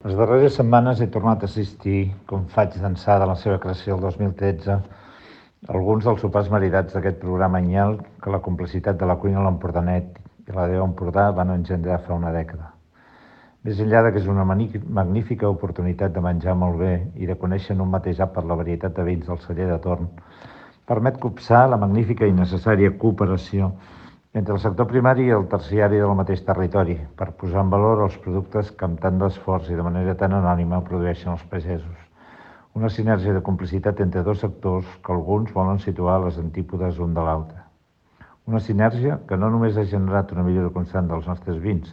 Les darreres setmanes he tornat a assistir, com faig d'ençà de la seva creació el 2013, a alguns dels sopars maridats d'aquest programa anyal que la complicitat de la cuina a l'Empordanet i la Déu Empordà van engendrar fa una dècada. Més enllà de que és una magnífica oportunitat de menjar molt bé i de conèixer en un mateix àpat la varietat de vins del celler de torn, permet copsar la magnífica i necessària cooperació entre el sector primari i el terciari del mateix territori, per posar en valor els productes que amb tant d'esforç i de manera tan anònima produeixen els pagesos. Una sinergia de complicitat entre dos sectors que alguns volen situar a les antípodes un de l'altre. Una sinergia que no només ha generat una millora constant dels nostres vins,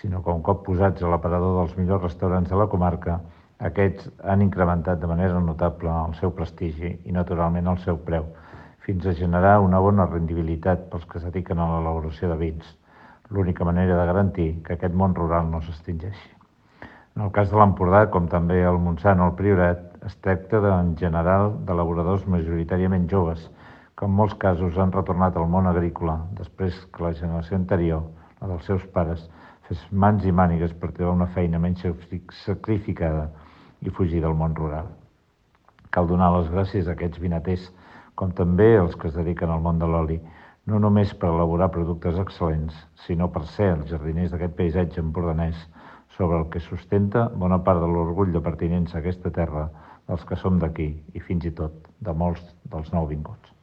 sinó que un cop posats a l'aparador dels millors restaurants de la comarca, aquests han incrementat de manera notable el seu prestigi i, naturalment, el seu preu, fins a generar una bona rendibilitat pels que es dediquen a l'elaboració de vins, l'única manera de garantir que aquest món rural no s'extingeixi. En el cas de l'Empordà, com també el Montsant o el Priorat, es tracta en general d'elaboradors majoritàriament joves, que en molts casos han retornat al món agrícola després que la generació anterior, la dels seus pares, fes mans i mànigues per trobar una feina menys sacrificada i fugir del món rural. Cal donar les gràcies a aquests vinaters, com també els que es dediquen al món de l'oli, no només per elaborar productes excel·lents, sinó per ser els jardiners d'aquest paisatge empordanès sobre el que sustenta bona part de l'orgull de pertinença a aquesta terra dels que som d'aquí i fins i tot de molts dels nouvinguts.